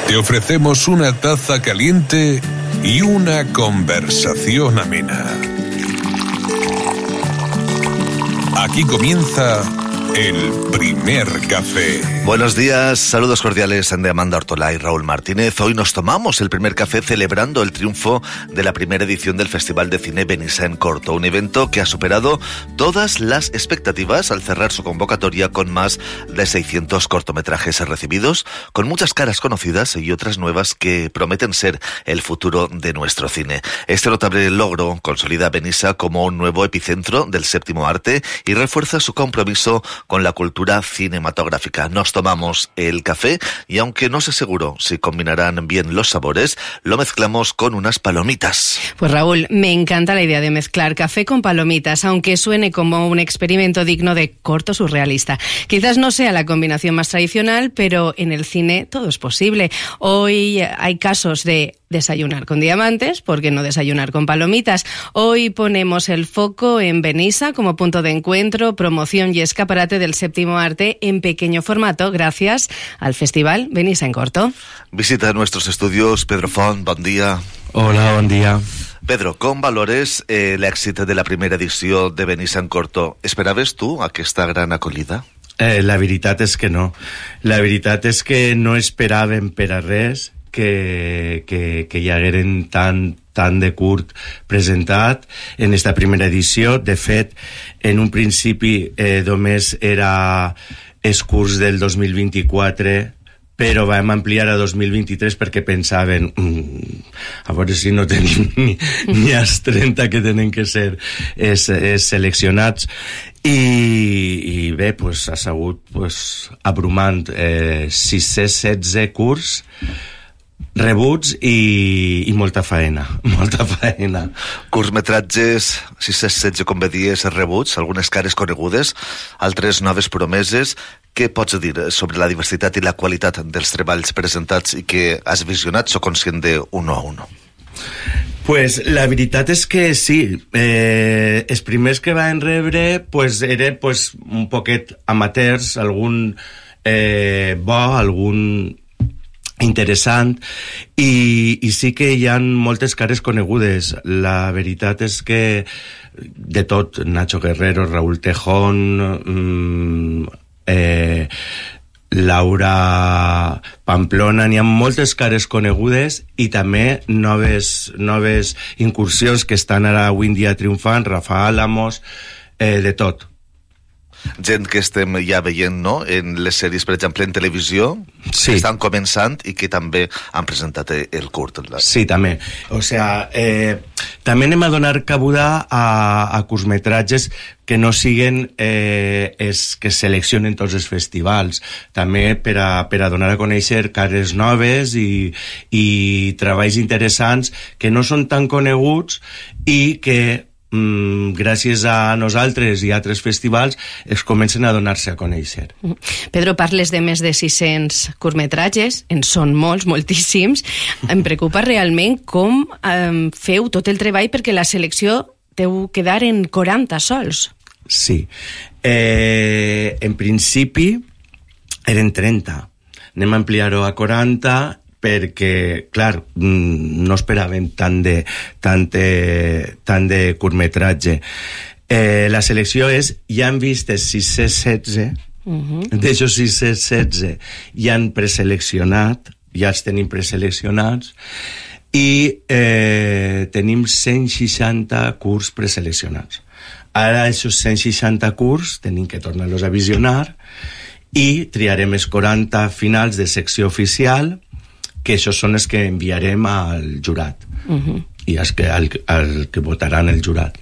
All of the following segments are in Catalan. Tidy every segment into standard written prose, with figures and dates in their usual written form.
Te ofrecemos una taza caliente y una conversación amena. Aquí comienza el primer café. Buenos días, saludos cordiales de Amanda Ortolá y Raúl Martínez. Hoy nos tomamos el primer café celebrando el triunfo de la primera edición del Festival de Cine Benissa en Corto, un evento que ha superado todas las expectativas al cerrar su convocatoria con más de 600 cortometrajes recibidos, con muchas caras conocidas y otras nuevas que prometen ser el futuro de nuestro cine. Este notable logro consolida a Benissa como un nuevo epicentro del séptimo arte y refuerza su compromiso con la cultura cinematográfica. Nos tomamos el café y aunque no sé seguro si combinarán bien los sabores, lo mezclamos con unas palomitas. Pues Raúl, me encanta la idea de mezclar café con palomitas, aunque suene como un experimento digno de corto surrealista. Quizás no sea la combinación más tradicional, pero en el cine todo es posible. Hoy hay casos de desayunar con diamantes, ¿por qué no desayunar con palomitas? Hoy ponemos el foco en Benissa como punto de encuentro, promoción y escaparate del séptimo arte en pequeño formato gracias al Festival Benissa en Corto. Visita nuestros estudios Pedro Font, bon dia. Hola, bon dia. Pedro, com valores l'èxit de la primera edició de Benissa en Corto? Esperaves tu aquesta gran acollida? La veritat és que no. La veritat és que no esperàvem per a res que hi hagueren tant de curt presentat en esta primera edició. De fet, en un principi només era els curs del 2024, però vam ampliar a 2023 perquè pensaven a veure si no tenim ni els 30 que tenen que ser seleccionats. I bé, pues, ha sigut abrumant. 616 curs rebuts i molta faena. Curtmetratges, 616, com bé dies, rebuts, algunes cares conegudes, altres noves promeses. Què pots dir sobre la diversitat i la qualitat dels treballs presentats i que has visionat? Soc conscient de uno a uno. Pues la veritat és que sí, els primers que van rebre eren un poquet amateurs, algun bo, algun interessant, i sí que hi ha moltes cares conegudes. La veritat és que de tot, Nacho Guerrero, Raúl Tejón, Laura Pamplona, n'hi ha moltes cares conegudes i també noves incursions que estan ara avui en dia triomfant, Rafa Álamos, de tot. Gent que estem ja veient, no?, en les sèries, per exemple, en televisió, sí, que estan començant i que també han presentat el curt. Sí, també. O sea, també anem a donar cabuda a curtmetratges que no siguen que seleccionen tots els festivals. També per a donar a conèixer cares noves i treballs interessants que no són tan coneguts i que gràcies a nosaltres i a altres festivals es comencen a donar-se a conèixer. Pedro, parles de més de 600 curtmetratges, en són moltíssims. Em preocupa realment com feu tot el treball perquè la selecció deu quedar en 40 sols. Sí. En principi eren 30. Anem a ampliar-ho a 40 perquè, clar, no esperàvem tant de curtmetratge. La selecció és, ja han vist 616, d'aixòs 616 ja han preseleccionat, ja els tenim preseleccionats, i tenim 160 curts preseleccionats. Ara, aquests 160 curts tenim que tornar-los a visionar i triarem els 40 finals de secció oficial, que això són els que enviarem al jurat i els que votaran el jurat.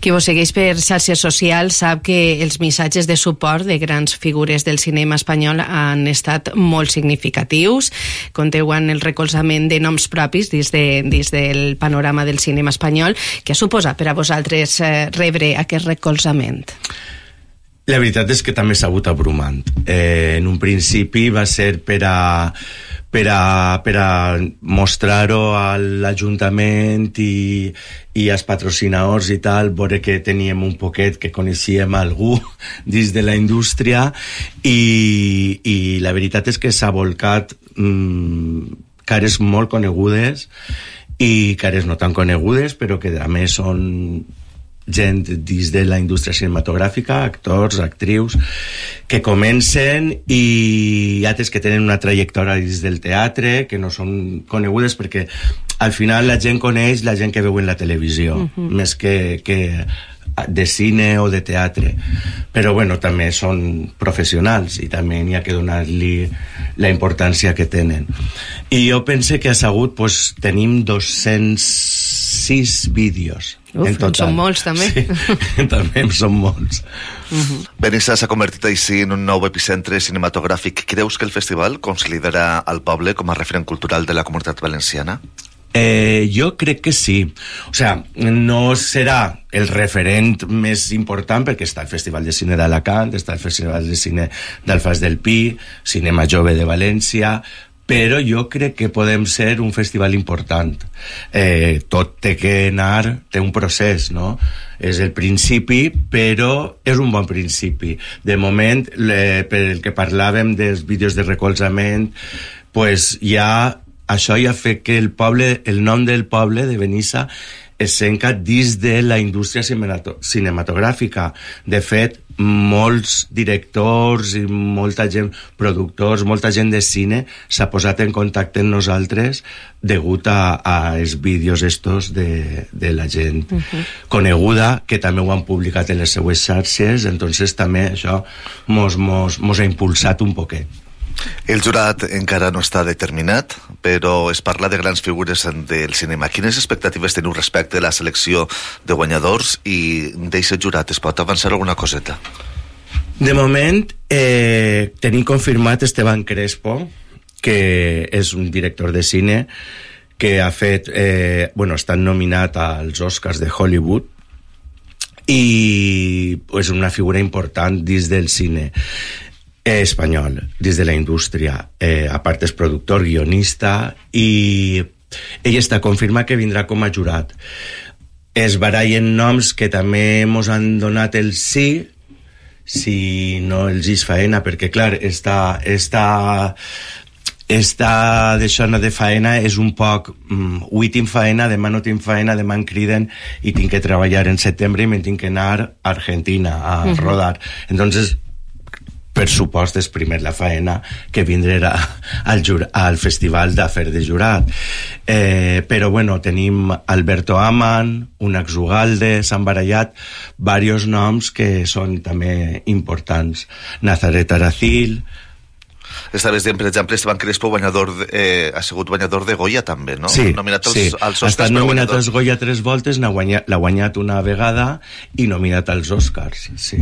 Qui vos segueix per xarxes socials sap que els missatges de suport de grans figures del cinema espanyol han estat molt significatius. Conteu amb el recolzament de noms propis dins del panorama del cinema espanyol. Què suposa per a vosaltres rebre aquest recolzament? La veritat és que també s'ha hagut abrumant. En un principi va ser per a mostrar-ho a l'Ajuntament i als patrocinadors i tal, veure que teníem un poquet, que coneixíem algú dins de la indústria, i la veritat és que s'ha volcat cares molt conegudes i cares no tan conegudes, però que a més són gent dins de la indústria cinematogràfica, actors, actrius, que comencen i altres que tenen una trajectòria dins del teatre, que no són conegudes perquè al final la gent coneix la gent que veu en la televisió, més que de cine o de teatre. Però bueno, també són professionals i també n'hi ha que donar-li la importància que tenen. I jo pense que a Sagut pues, tenim 206 vídeos. Uf, són molts també. Sí, també són molts. Benissa s'ha convertit així en un nou epicentre cinematogràfic. Creus que el festival consolidarà el poble com a referent cultural de la comunitat valenciana? Jo crec que sí. O sea, no serà el referent més important perquè està el Festival de Cine d'Alacant, està el Festival de Cine d'Alfàs del Pi, Cinema Jove de València, però jo crec que podem ser un festival important. Tot té que anar, té un procés, no? És el principi, però és un bon principi. De moment, per el que parlàvem dels vídeos de recolzament, pues ja això ja fa que el poble, el nom del poble de Benissa es senca dins de la indústria cinematogràfica. De fet, molts directors i molta gent, productors, molta gent de cine s'ha posat en contacte amb nosaltres degut a els vídeos estos de la gent coneguda, que també ho han publicat en les seues xarxes, entonces també això mos ha impulsat un poquet. El jurat encara no està determinat, però es parla de grans figures del cinema. Quines expectatives teniu respecte a la selecció de guanyadors i d'aquest jurat es pot avançar alguna coseta? De moment tenim confirmat Esteban Crespo, que és un director de cine que ha fet està nominat als Oscars de Hollywood i és una figura important dins del cine espanyol, des de la indústria. A part és productor, guionista, i ell està confirmat que vindrà com a jurat. Es barallen noms que també ens han donat el sí, si no els és faena, perquè clar, esta d'això de faena és un poc avui tinc faena, demà no tinc faena, demà em criden i tinc que treballar en setembre i me'n tinc que anar a Argentina a rodar. Entonces per supost és primer la faena que vindrà al festival d'afer de jurat. Però bueno, tenim Alberto Aman, Unax Ugalde, s'han barallat diversos noms que són també importants. Nazaret Aracil. Estaves dient, per exemple, Esteban Crespo ha sigut guanyador de Goya també, no? Sí, nominat als Oscars, ha estat nominat als Goya 3 voltes, l'ha guanyat una vegada i nominat als Oscars, sí.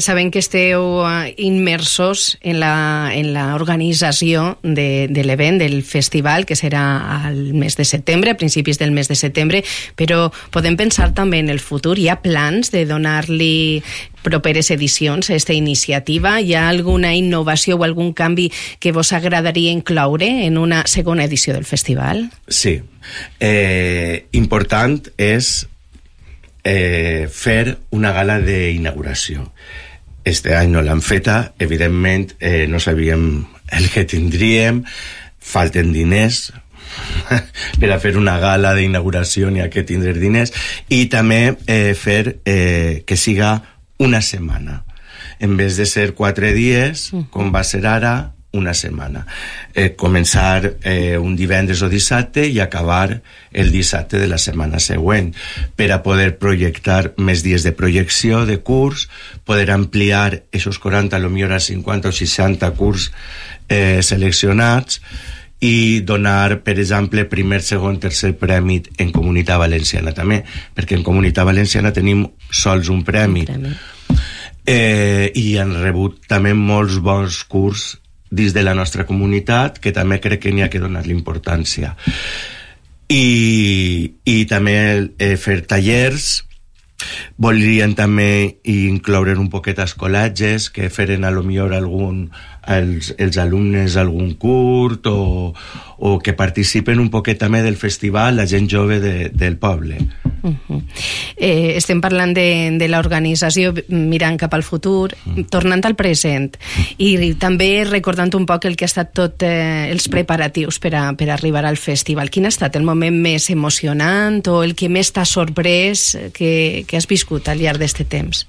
Sabem que esteu immersos en la organització de l'event, del festival, que serà al mes de setembre, a principis del mes de setembre, però podem pensar també en el futur. Hi ha plans de donar-li properes edicions a aquesta iniciativa? Hi ha alguna innovació o algun canvi que vos agradaria incloure en una segona edició del festival? Sí. Important és fer una gala d'inauguració. Este any no l'han feta, evidentment no sabíem el que tindríem, falten diners per a fer una gala d'inauguració, n'hi ha que tindre diners, i també fer que siga una setmana. En vez de ser 4 dies, com va ser ara, una setmana. Començar un divendres o dissabte i acabar el dissabte de la setmana següent, per a poder projectar més dies de projecció de curs, poder ampliar esos 40, potser a 50 o 60 curs seleccionats, i donar, per exemple, primer, segon, tercer premi en Comunitat Valenciana també, perquè en Comunitat Valenciana tenim sols un premi. I han rebut també molts bons curs dins de la nostra comunitat, que també crec que n'hi ha que donar-li importància. I també fer tallers. Voldrien també incloure un poquet escolatges, que feren a lo millor els alumnes algun curt, o que participen un poquet també del festival la gent jove del poble. Estem parlant de l'organització mirant cap al futur, tornant al present i també recordant un poc el que ha estat tot els preparatius per arribar al festival. Quin ha estat el moment més emocionant o el que més t'ha sorprès que has viscut al llarg d'aquest temps?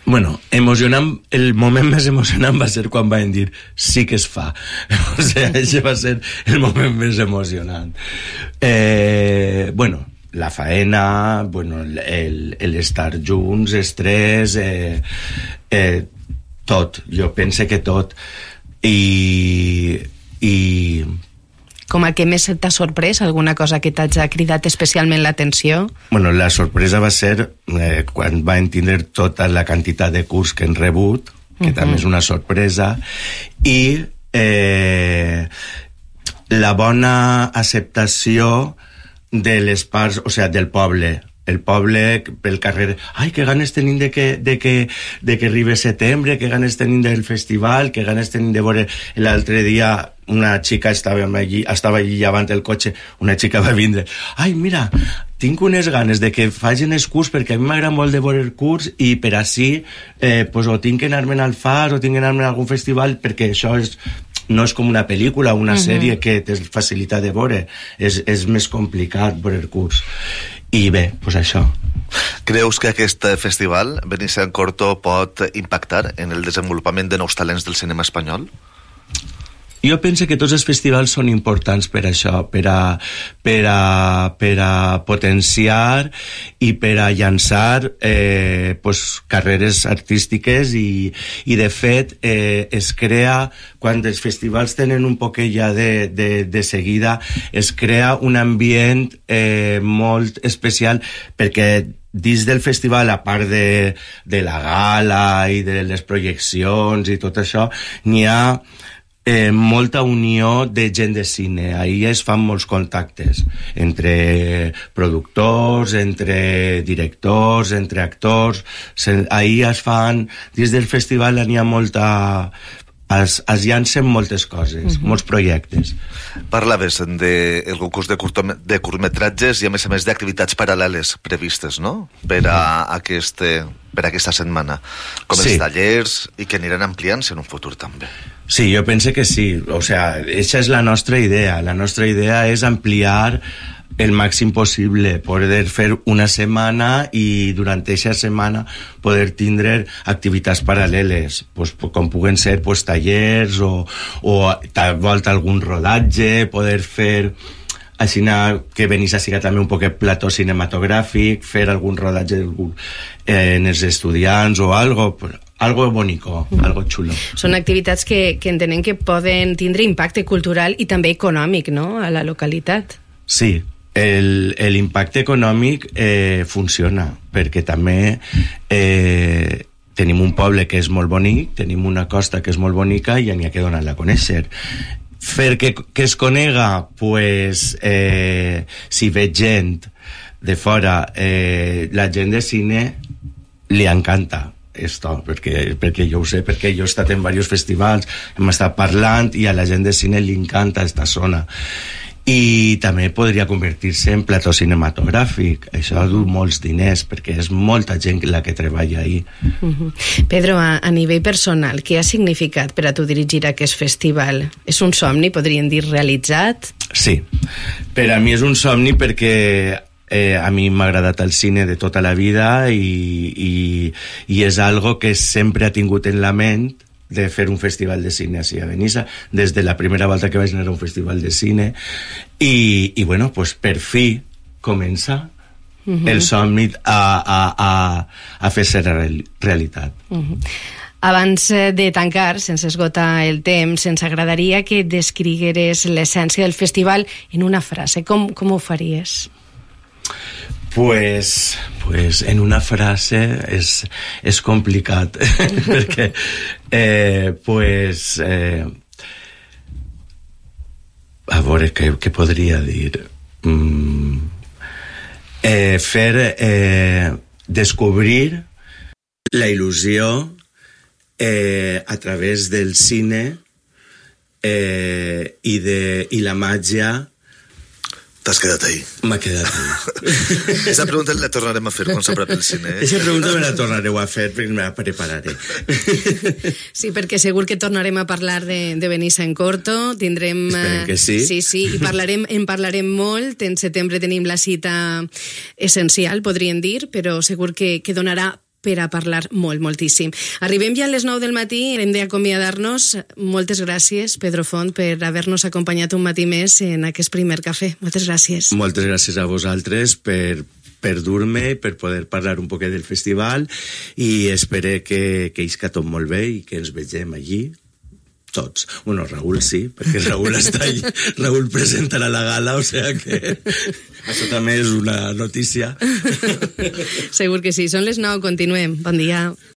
Bueno, emocionant, el moment més emocionant va ser quan van dir sí que es fa. O sigui, això va ser el moment més emocionant. Bueno, la faena, bueno, l'estar junts, estrès, tot. Jo pense que tot. I com el que més t'ha sorprès? Alguna cosa que t'ha cridat especialment l'atenció? Bueno, la sorpresa va ser quan van tindre tota la quantitat de curs que han rebut, que també és una sorpresa, i la bona acceptació de les parts, o sigui, del poble. El poble pel carrer, ai, que ganes tenim de que arribi setembre, que ganes tenim del festival, que ganes tenim de veure. L'altre dia una xica estava allí davant el cotxe, una xica va vindre, ai, mira, tinc unes ganes de que facin el curs, perquè a mi m'agrada molt de veure el curs i per així pues, o tinc que anar-me'n al Far o tinc que anar-me'n a algun festival, perquè això no és com una pel·lícula o una sèrie que té facilitat de veure, és més complicat veure el curs. I bé, doncs això. Creus que aquest festival, Benissén Corto, pot impactar en el desenvolupament de nous talents del cinema espanyol? Jo penso que tots els festivals són importants per això, per a potenciar i per a llançar pues, carreres artístiques i de fet es crea, quan els festivals tenen un poquet ja de seguida, es crea un ambient molt especial perquè dins del festival, a part de la gala i de les projeccions i tot això, n'hi ha molta unió de gent de cine. Ahir es fan molts contactes entre productors, entre directors, entre actors. Ahir es fan, dins del festival n'hi ha molta... Es llancen moltes coses, molts projectes. Parlaves del concurs de curtmetratges i a més d'activitats paral·leles previstes, no?, per a aquesta setmana, com els tallers, i que aniran ampliant-se en un futur també. Sí, jo penso que sí. O sea, esa és la nostra idea. La nostra idea és ampliar el màxim possible, poder fer una setmana i durant aquesta setmana poder tindre activitats paral·leles, pues, com puguen ser pues, tallers o tal volta algun rodatge, poder fer així que venís a siga també un poquet plató cinematogràfic, fer algun rodatge en els estudiants o algo bonico, algo xulo. Són activitats que entenem que poden tindre impacte cultural i també econòmic, no?, a la localitat. Sí, l'impacte econòmic funciona, perquè també tenim un poble que és molt bonic, tenim una costa que és molt bonica i n'hi ha que donar-la a conèixer. Fer que es conega, pues, si veig gent de fora, la gent de cine li encanta esto, perquè jo ho sé, perquè jo he estat en diversos festivals, hem estat parlant i a la gent de cine li encanta esta zona. I també podria convertir-se en plató cinematogràfic. Això du molts diners perquè és molta gent la que treballa ahí. Pedro, a nivell personal, què ha significat per a tu dirigir aquest festival? És un somni, podríem dir, realitzat? Sí, per a mi és un somni perquè a mi m'ha agradat el cine de tota la vida i és algo que sempre ha tingut en la ment de fer un festival de cine així a Benissa, des de la primera volta que vaig anar a un festival de cine i bueno, pues per fi comença el somni a fer-se realitat. Abans de tancar, sense esgotar el temps, ens agradaria que descrigueres l'essència del festival en una frase. Com ho faries? Pues en una frase és complicat perquè a veure què podria dir, descobrir la il·lusió a través del cine i la màgia T'has quedat ahí. M'ha quedat ahí. Aquesta pregunta la tornarem a fer quan s'apropi el cine. Aquesta pregunta me la tornareu a fer perquè me la prepararé. Sí, perquè segur que tornarem a parlar de Benissa en Corto. Tindrem... Esperem que sí. Sí, i en parlarem molt. En setembre tenim la cita essencial, podríem dir, però segur que donarà per a parlar moltíssim. Arribem ja a les 9 del matí, hem d'acomiadar-nos. Moltes gràcies, Pedro Font, per haver-nos acompanyat un matí més en aquest primer cafè. Moltes gràcies. Moltes gràcies a vosaltres per dur-me, per poder parlar un poquet del festival, i espero que isca tot molt bé i que ens vegem allí tots. Bueno, Raül sí, perquè Raül està allí. Raül presentarà la gala, o sea que això també és una notícia. Segur que sí. Són les 9, continuem. Bon dia.